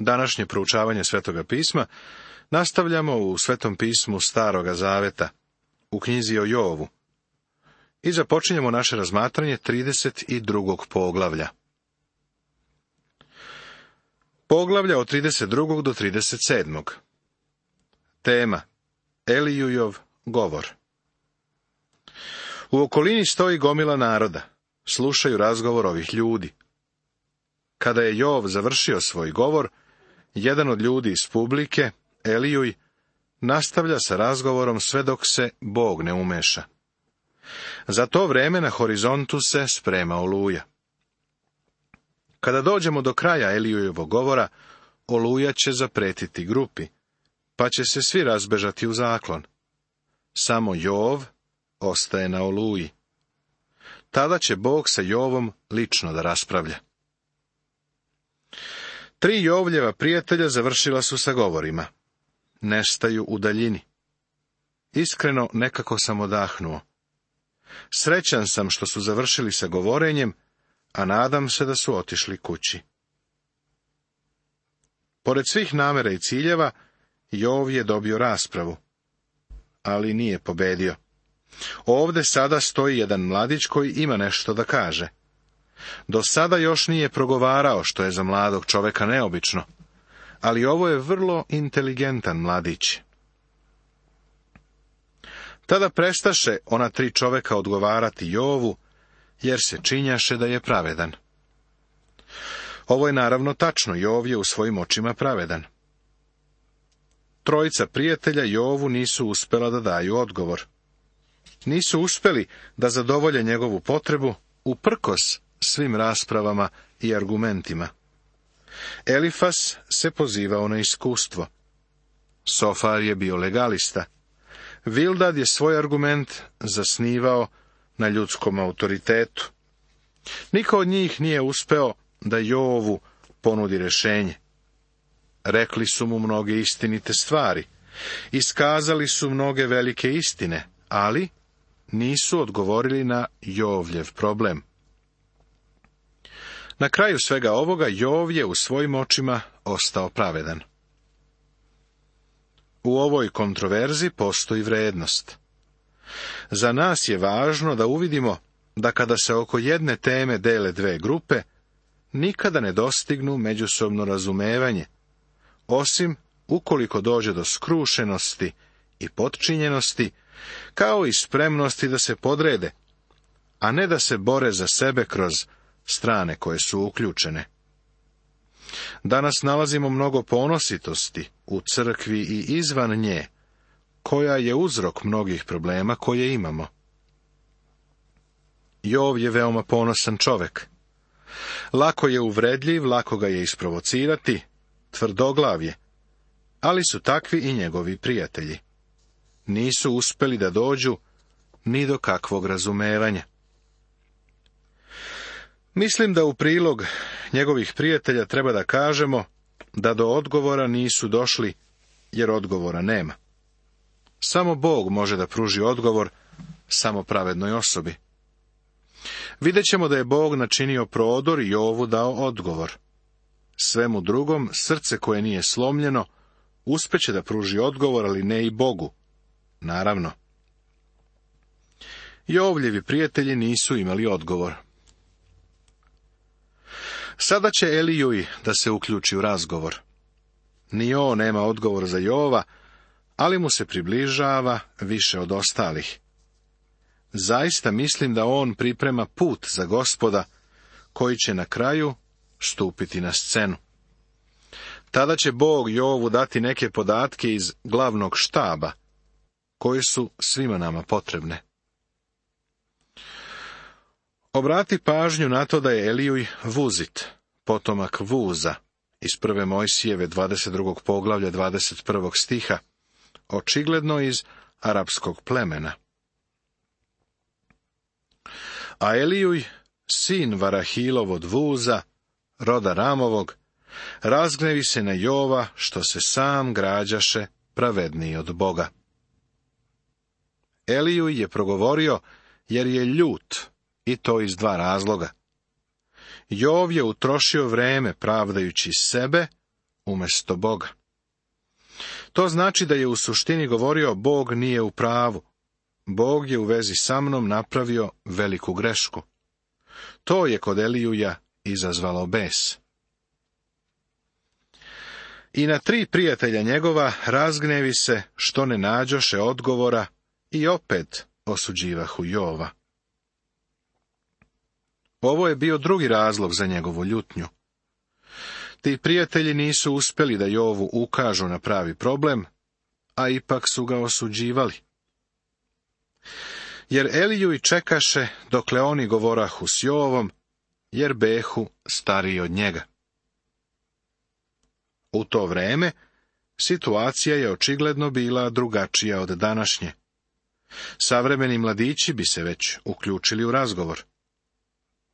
Današnje proučavanje Svetoga pisma nastavljamo u Svetom pismu Staroga zaveta, u knjizi o Jovu. I započinjemo naše razmatranje 32. poglavlja. Poglavlja od 32. do 37. Tema: Elijujov govor. U okolini stoji gomila naroda, slušaju razgovor ovih ljudi. Kada je Jov završio svoj govor, jedan od ljudi iz publike, Elijuj, nastavlja sa razgovorom sve dok se Bog ne umeša. Za to vreme na horizontu se sprema oluja. Kada dođemo do kraja Elijujevog govora, oluja će zapretiti grupi, pa će se svi razbežati u zaklon. Samo Jov ostaje na oluji. Tada će Bog sa Jovom lično da raspravlja. 3 Jovljeva prijatelja završila su sa govorima. Nestaju u daljini. Iskreno, nekako sam odahnuo. Srećan sam što su završili sa govorenjem, a nadam se da su otišli kući. Pored svih namera i ciljeva, Jov je dobio raspravu, ali nije pobedio. Ovde sada stoji jedan mladić koji ima nešto da kaže. Do sada još nije progovarao, što je za mladog čoveka neobično, ali ovo je vrlo inteligentan mladić. Tada prestaše ona 3 čoveka odgovarati Jovu, jer se činjaše da je pravedan. Ovo je naravno tačno, Jov je u svojim očima pravedan. 3 prijatelja Jovu nisu uspela da daju odgovor. Nisu uspeli da zadovolje njegovu potrebu, uprkos svim raspravama i argumentima. Elifas se pozivao na iskustvo. Sofar je bio legalista. Vildad je svoj argument zasnivao na ljudskom autoritetu. Niko od njih nije uspeo da Jovu ponudi rješenje. Rekli su mu mnoge istinite stvari, iskazali su mnoge velike istine, ali nisu odgovorili na Jovljev problem. Na kraju svega ovoga, Jov je u svojim očima ostao pravedan. U ovoj kontroverzi postoji vrednost. Za nas je važno da uvidimo da kada se oko jedne teme dele 2 grupe, nikada ne dostignu međusobno razumevanje, osim ukoliko dođe do skrušenosti i potčinjenosti, kao i spremnosti da se podrede, a ne da se bore za sebe kroz strane koje su uključene. Danas nalazimo mnogo ponositosti u crkvi i izvan nje, koja je uzrok mnogih problema koje imamo. Jov je veoma ponosan čovek. Lako je uvredljiv, lako ga je isprovocirati, tvrdoglav je, ali su takvi i njegovi prijatelji. Nisu uspeli da dođu ni do kakvog razumevanja. Mislim da u prilog njegovih prijatelja treba da kažemo da do odgovora nisu došli, jer odgovora nema. Samo Bog može da pruži odgovor samo pravednoj osobi. Vidjet ćemo da je Bog načinio prodor i Jovu dao odgovor. Svemu drugom, srce koje nije slomljeno, uspeće da pruži odgovor, ali ne i Bogu. Naravno. Jovljevi prijatelji nisu imali odgovor. Sada će Elijuj da se uključi u razgovor. Ni on nema odgovor za Jova, ali mu se približava više od ostalih. Zaista mislim da on priprema put za Gospoda, koji će na kraju stupiti na scenu. Tada će Bog Jovu dati neke podatke iz glavnog štaba, koje su svima nama potrebne. Obrati pažnju na to da je Elijuj Vuzit, potomak Vuza, iz 1. Mojsijeve 22. poglavlja 21. stiha, očigledno iz arapskog plemena. A Elijuj, sin Varahilov od Vuza, roda Ramovog, razgnevi se na Jova, što se sam građaše pravedniji od Boga. Elijuj je progovorio jer je ljut, i to iz 2 razloga. Jov je utrošio vreme pravdajući sebe, umjesto Boga. To znači da je u suštini govorio Bog nije u pravu. Bog je u vezi sa mnom napravio veliku grešku. To je kod Elijuja izazvalo bes. I na 3 prijatelja njegova razgnevi se što ne nađoše odgovora i opet osuđivahu Jova. Ovo je bio drugi razlog za njegovu ljutnju. Ti prijatelji nisu uspjeli da Jovu ukažu na pravi problem, a ipak su ga osuđivali. Jer Eliju i čekaše dokle oni govorahu s Jovom, jer behu stariji od njega. U to vreme situacija je očigledno bila drugačija od današnje. Savremeni mladići bi se već uključili u razgovor.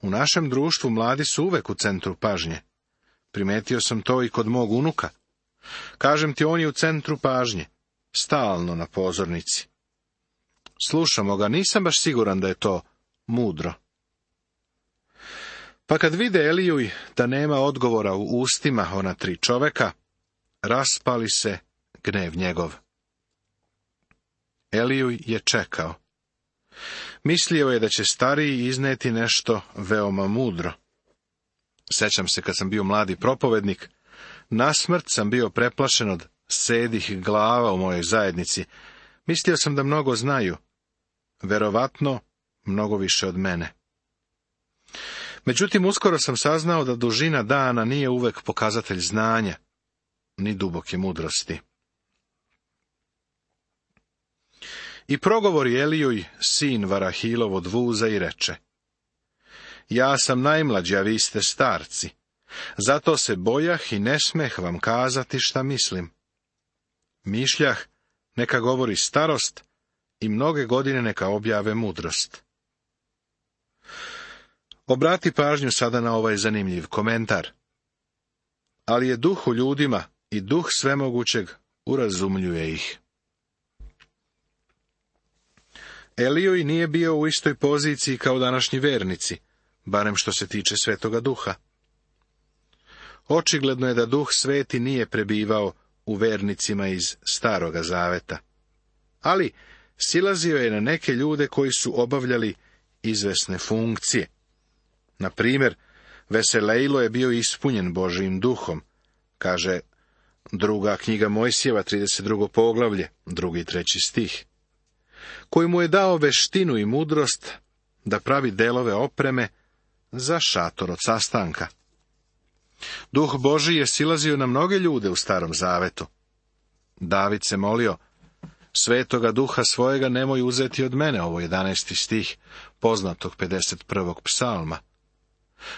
U našem društvu mladi su uvek u centru pažnje. Primetio sam to i kod mog unuka. Kažem ti, on je u centru pažnje, stalno na pozornici. Slušamo ga, nisam baš siguran da je to mudro. Pa kad vide Elijuj da nema odgovora u ustima ona 3 čoveka, raspali se gnev njegov. Elijuj je čekao. Mislio je da će stariji izneti nešto veoma mudro. Sećam se kad sam bio mladi propovednik, nasmrt sam bio preplašen od sedih glava u mojoj zajednici. Mislio sam da mnogo znaju, verovatno mnogo više od mene. Međutim, uskoro sam saznao da dužina dana nije uvek pokazatelj znanja, ni duboke mudrosti. I progovori Elijuj, sin Varahilov, od vuza i reče: Ja sam najmlađi, a vi ste starci, zato se bojah i ne smeh vam kazati šta mislim. Mišljah, neka govori starost i mnoge godine neka objave mudrost. Obrati pažnju sada na ovaj zanimljiv komentar. Ali je duh u ljudima i duh svemogućeg urazumljuje ih. Elijuj nije bio u istoj poziciji kao današnji vernici, barem što se tiče Svetoga Duha. Očigledno je da Duh Sveti nije prebivao u vernicima iz Staroga Zaveta, ali silazio je na neke ljude koji su obavljali izvesne funkcije. Na primjer, Veselejlo je bio ispunjen Božijim duhom, kaže 2. knjiga Mojsijeva, 32. poglavlje, 2. i 3. stih, koji mu je dao veštinu i mudrost da pravi delove opreme za šator od sastanka. Duh Božji je silazio na mnoge ljude u Starom Zavetu. David se molio: Svetoga Duha svojega nemoj uzeti od mene, ovo 11. stih poznatog 51. psalma.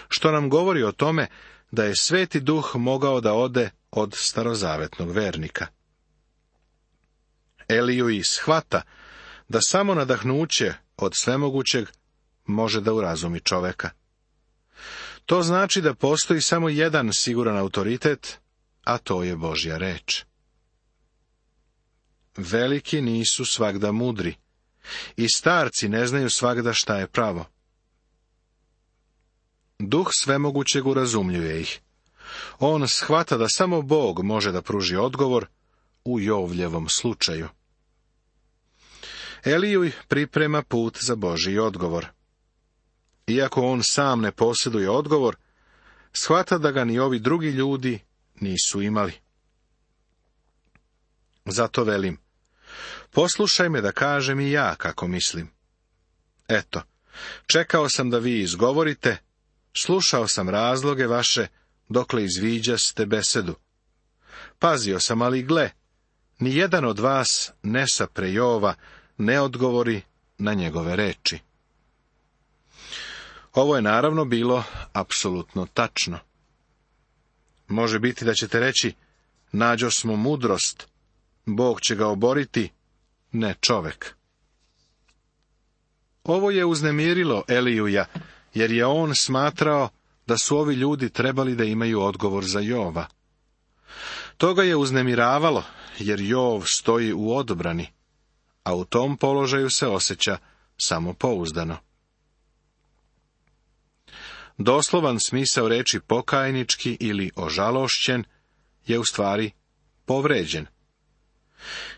Što nam govori o tome da je Sveti Duh mogao da ode od starozavetnog vernika. Elijuj shvata da samo nadahnuće od svemogućeg može da urazumi čoveka. To znači da postoji samo jedan siguran autoritet, a to je Božja reč. Veliki nisu svagda mudri, i starci ne znaju svagda šta je pravo. Duh svemogućeg urazumljuje ih. On shvata da samo Bog može da pruži odgovor u Jovljevom slučaju. Elijuj priprema put za Božji odgovor. Iako on sam ne posjeduje odgovor, shvata da ga ni ovi drugi ljudi nisu imali. Zato velim: poslušaj me da kažem i ja kako mislim. Eto, čekao sam da vi izgovorite, slušao sam razloge vaše dokle izviđaste besedu. Pazio sam, ali gle, ni jedan od vas ne sapre Jova, ne odgovori na njegove reči. Ovo je naravno bilo apsolutno tačno. Može biti da ćete reći: nađo smo mudrost, Bog će ga oboriti, ne čovek. Ovo je uznemirilo Elijuja, jer je on smatrao da su ovi ljudi trebali da imaju odgovor za Jova. To ga je uznemiravalo, jer Jov stoji u odbrani, a u tom položaju se osjeća samopouzdano. Doslovan smisao reči pokajnički ili ožalošćen je u stvari povređen.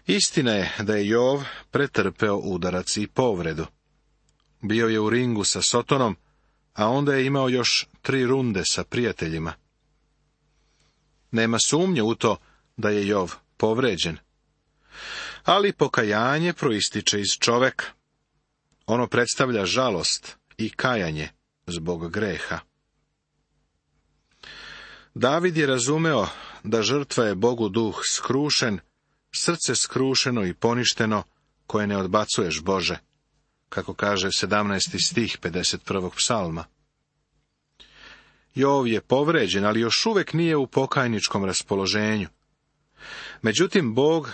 Istina je da je Jov pretrpeo udarac i povredu. Bio je u ringu sa Sotonom, a onda je imao još 3 runde sa prijateljima. Nema sumnje u to da je Jov povređen. Ali pokajanje proističe iz čoveka. Ono predstavlja žalost i kajanje zbog greha. David je razumeo da žrtva je Bogu duh skrušen, srce skrušeno i poništeno, koje ne odbacuješ, Bože, kako kaže 17. stih 51. psalma. Jov je povređen, ali još uvek nije u pokajničkom raspoloženju. Međutim, Bog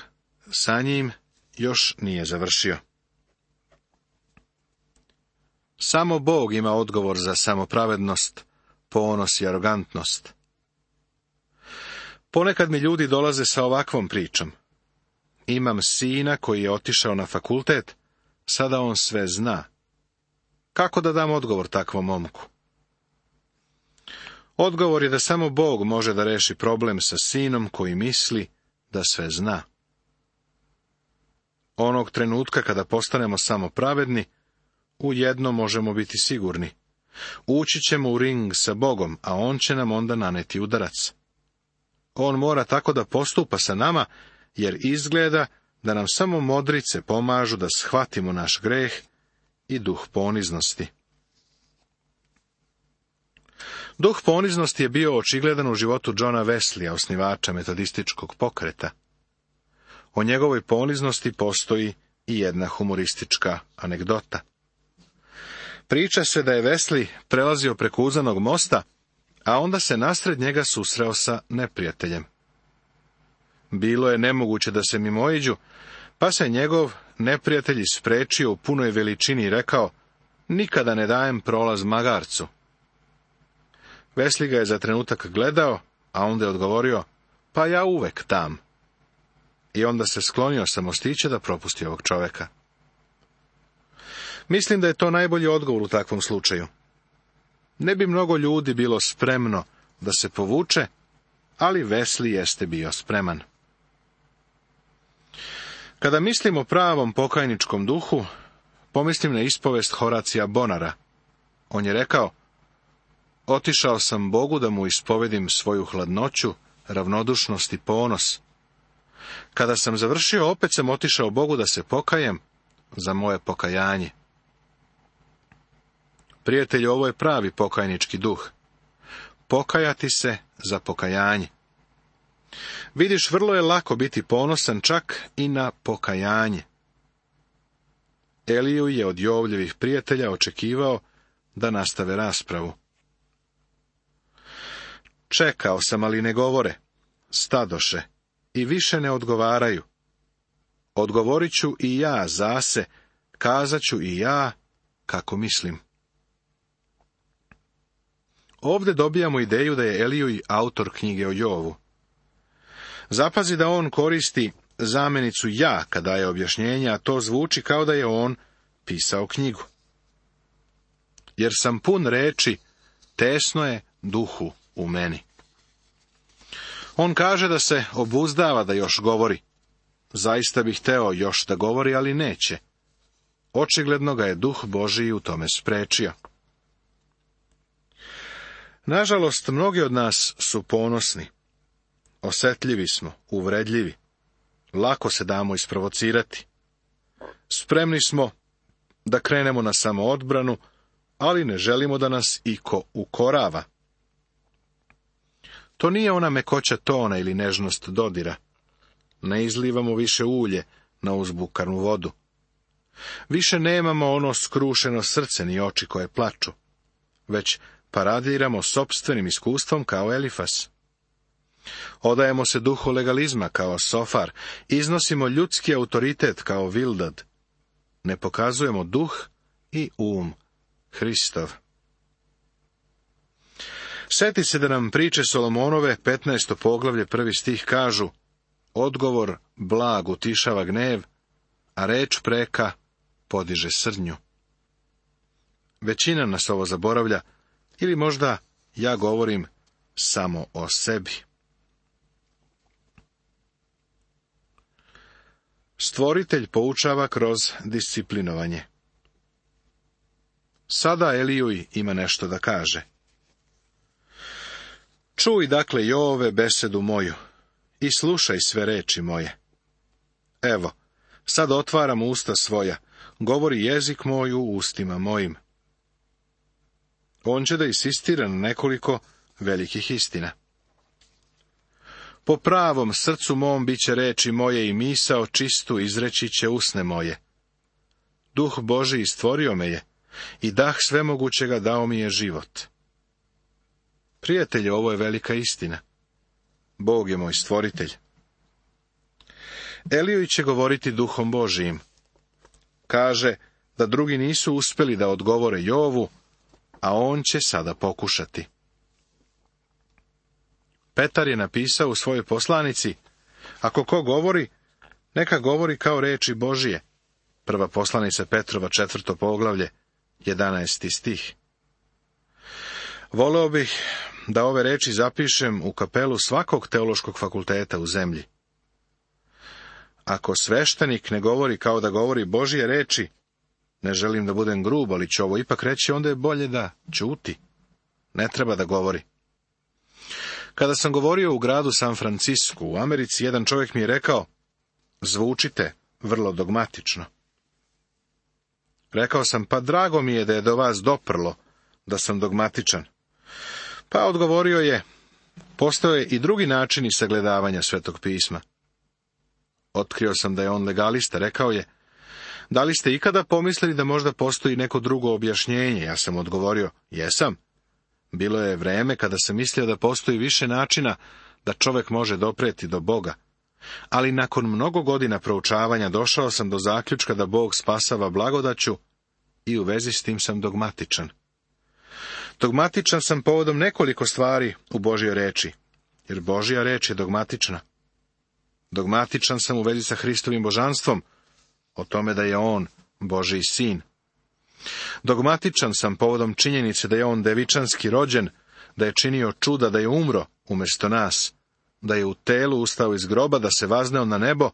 sa njim još nije završio. Samo Bog ima odgovor za samopravednost, ponos i arogantnost. Ponekad mi ljudi dolaze sa ovakvom pričom. Imam sina koji je otišao na fakultet, sada on sve zna. Kako da dam odgovor takvom momku? Odgovor je da samo Bog može da reši problem sa sinom koji misli da sve zna. Onog trenutka kada postanemo samo pravedni, u jedno možemo biti sigurni. Ući ćemo u ring sa Bogom, a on će nam onda naneti udarac. On mora tako da postupa sa nama, jer izgleda da nam samo modrice pomažu da shvatimo naš greh i duh poniznosti. Duh poniznosti je bio očigledan u životu Johna Wesleya, osnivača metodističkog pokreta. O njegovoj poniznosti postoji i jedna humoristička anegdota. Priča se da je Wesley prelazio preko uzanog mosta, a onda se nasred njega susreo sa neprijateljem. Bilo je nemoguće da se mimoiđu, pa se njegov neprijatelj isprečio u punoj veličini i rekao: nikada ne dajem prolaz magarcu. Wesley ga je za trenutak gledao, a onda je odgovorio: pa ja uvek dam. I onda se sklonio sa mostića da propusti ovog čoveka. Mislim da je to najbolji odgovor u takvom slučaju. Ne bi mnogo ljudi bilo spremno da se povuče, ali Wesley jeste bio spreman. Kada mislim o pravom pokajničkom duhu, pomislim na ispovest Horacija Bonara. On je rekao: otišao sam Bogu da mu ispovedim svoju hladnoću, ravnodušnost i ponos. Kada sam završio, opet sam otišao Bogu da se pokajem za moje pokajanje. Prijatelju, ovo je pravi pokajnički duh. Pokajati se za pokajanje. Vidiš, vrlo je lako biti ponosan čak i na pokajanje. Eliju je od Jovljevih prijatelja očekivao da nastave raspravu. Čekao sam, ali ne govore. Stadoše i više ne odgovaraju. Odgovorit ću i ja zase, kazat ću i ja kako mislim. Ovdje dobijamo ideju da je Eliju i autor knjige o Jovu. Zapazi da on koristi zamenicu ja kad daje objašnjenja, a to zvuči kao da je on pisao knjigu. Jer sam pun reči, tesno je duhu u meni. On kaže da se obuzdava da još govori. Zaista bih hteo još da govori, ali neće. Očigledno ga je duh Božiji u tome sprečio. Nažalost, mnogi od nas su ponosni. Osetljivi smo, uvredljivi. Lako se damo isprovocirati. Spremni smo da krenemo na samoodbranu, ali ne želimo da nas iko ukorava. To nije ona mekoća tona ili nežnost dodira. Ne izlivamo više ulje na uzbukarnu vodu. Više nemamo ono skrušeno srce ni oči koje plaču, već paradiramo sopstvenim iskustvom kao Elifas. Odajemo se duhu legalizma kao Sofar, iznosimo ljudski autoritet kao Vildad. Ne pokazujemo duh i Hristov. Sjeti se da nam priče Solomonove, 15. poglavlje, 1. stih kažu: odgovor blag utišava gnev, a reč preka podiže srdnju. Većina nas ovo zaboravlja, ili možda ja govorim samo o sebi. Stvoritelj poučava kroz disciplinovanje. Sada Elijuj ima nešto da kaže. Čuj dakle, Jove, besedu moju i slušaj sve reči moje. Evo, sad otvaram usta svoja, govori jezik moj u ustima mojim. On će da insistira na nekoliko velikih istina. Po pravom srcu mom bit će reči moje i misao čistu izreći će usne moje. Duh Božiji stvorio me je i dah svemogućega dao mi je život. Prijatelju, ovo je velika istina. Bog je moj stvoritelj. Elijuj će govoriti Duhom Božijim. Kaže da drugi nisu uspjeli da odgovore Jovu, a on će sada pokušati. Petar je napisao u svojoj poslanici, ako ko govori, neka govori kao reči Božije. Prva poslanica Petrova, 4. poglavlje, 11. stih. Voleo bih da ove reči zapišem u kapelu svakog teološkog fakulteta u zemlji. Ako sveštenik ne govori kao da govori Božje reči, ne želim da budem grub, ali ću ovo ipak reći, onda je bolje da ćuti. Ne treba da govori. Kada sam govorio u gradu San Francisku, u Americi, jedan čovjek mi je rekao, zvučite vrlo dogmatično. Rekao sam, pa drago mi je da je do vas doprlo da sam dogmatičan. Pa odgovorio je, postoje i drugi načini sagledavanja Svetog pisma. Otkrio sam da je on legalista, rekao je, da li ste ikada pomislili da možda postoji neko drugo objašnjenje? Ja sam odgovorio, jesam. Bilo je vreme kada sam mislio da postoji više načina da čovjek može dopreti do Boga. Ali nakon mnogo godina proučavanja došao sam do zaključka da Bog spasava blagodaću i u vezi s tim sam dogmatičan. Dogmatičan sam povodom nekoliko stvari u Božjoj reči, jer Božja reč je dogmatična. Dogmatičan sam u vezi sa Hristovim božanstvom, o tome da je on Božji sin. Dogmatičan sam povodom činjenice da je on devičanski rođen, da je činio čuda, da je umro umjesto nas, da je u telu ustao iz groba, da se vazneo na nebo,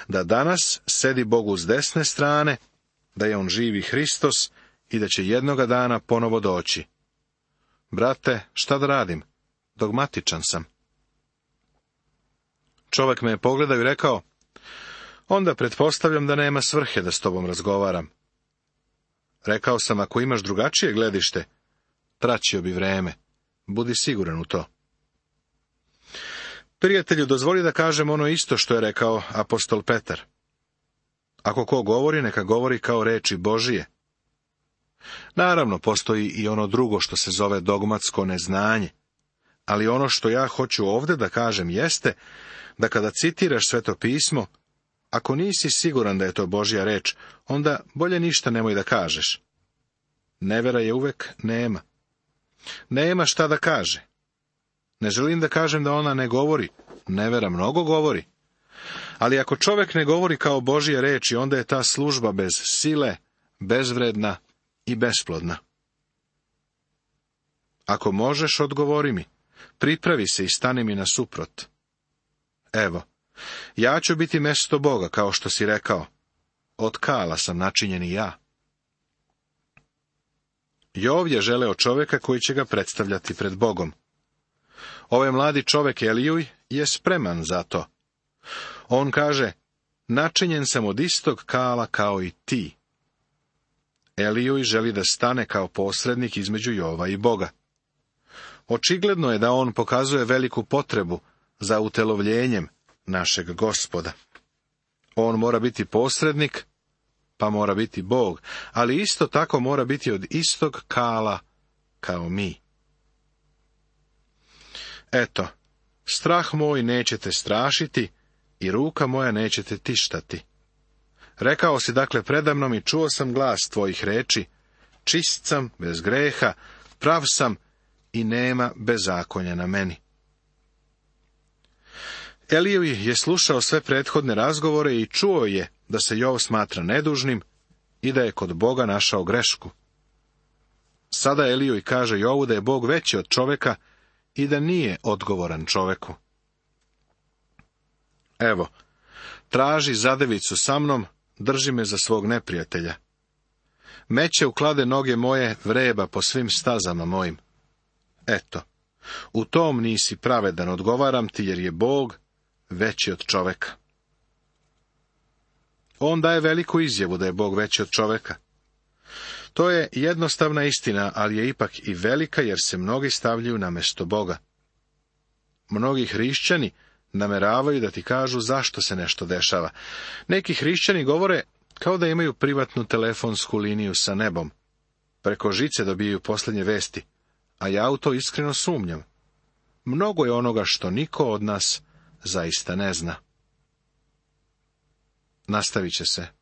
da danas sedi Bogu s desne strane, da je on živi Hristos i da će jednoga dana ponovo doći. Brate, šta da radim? Dogmatičan sam. Čovjek me je pogledao i rekao, onda pretpostavljam da nema svrhe da s tobom razgovaram. Rekao sam, ako imaš drugačije gledište, traćio bi vreme. Budi siguran u to. Prijatelju, dozvoli da kažem ono isto što je rekao apostol Petar. Ako ko govori, neka govori kao reči Božije. Naravno, postoji i ono drugo što se zove dogmatsko neznanje. Ali ono što ja hoću ovdje da kažem jeste da kada citiraš Sveto pismo, ako nisi siguran da je to Božja reč, onda bolje ništa nemoj da kažeš. Nevera je uvek nema. Nema šta da kaže. Ne želim da kažem da ona ne govori. Nevera mnogo govori. Ali ako čovjek ne govori kao Božje reči, onda je ta služba bez sile, bezvredna i besplodna. Ako možeš, odgovori mi. Pripravi se i stani mi nasuprot. Evo, ja ću biti mesto Boga, kao što si rekao. Od kala sam načinjen i ja. Jov je želeo čovjeka koji će ga predstavljati pred Bogom. Ovaj mladi čovjek Elijuj je spreman za to. On kaže, načinjen sam od istog kala kao i ti. Elijuj želi da stane kao posrednik između Jova i Boga. Očigledno je da on pokazuje veliku potrebu za utelovljenjem našeg Gospoda. On mora biti posrednik, pa mora biti Bog, ali isto tako mora biti od istog kala kao mi. Eto, strah moj nećete strašiti i ruka moja nećete tištati. Rekao si dakle predamnom i čuo sam glas tvojih reči, čist sam, bez greha, prav sam i nema bezakonja na meni. Elijuj je slušao sve prethodne razgovore i čuo je da se Jov smatra nedužnim i da je kod Boga našao grešku. Sada Elijuj kaže Jovu da je Bog veći od čovjeka i da nije odgovoran čovjeku. Evo, Traži zadevicu sa mnom, drži me za svog neprijatelja. Meće uklade noge moje, vreba po svim stazama mojim. Eto, u tom nisi pravedan, odgovaram ti, jer je Bog veći od čoveka. On daje veliku izjavu da je Bog veći od čoveka. To je jednostavna istina, ali je ipak i velika, jer se mnogi stavljaju na mesto Boga. Mnogi hrišćani nameravaju da ti kažu zašto se nešto dešava. Neki hrišćani govore kao da imaju privatnu telefonsku liniju sa nebom. Preko žice dobijaju posljednje vesti, a ja u to iskreno sumnjam. Mnogo je onoga što niko od nas zaista ne zna. Nastavit će se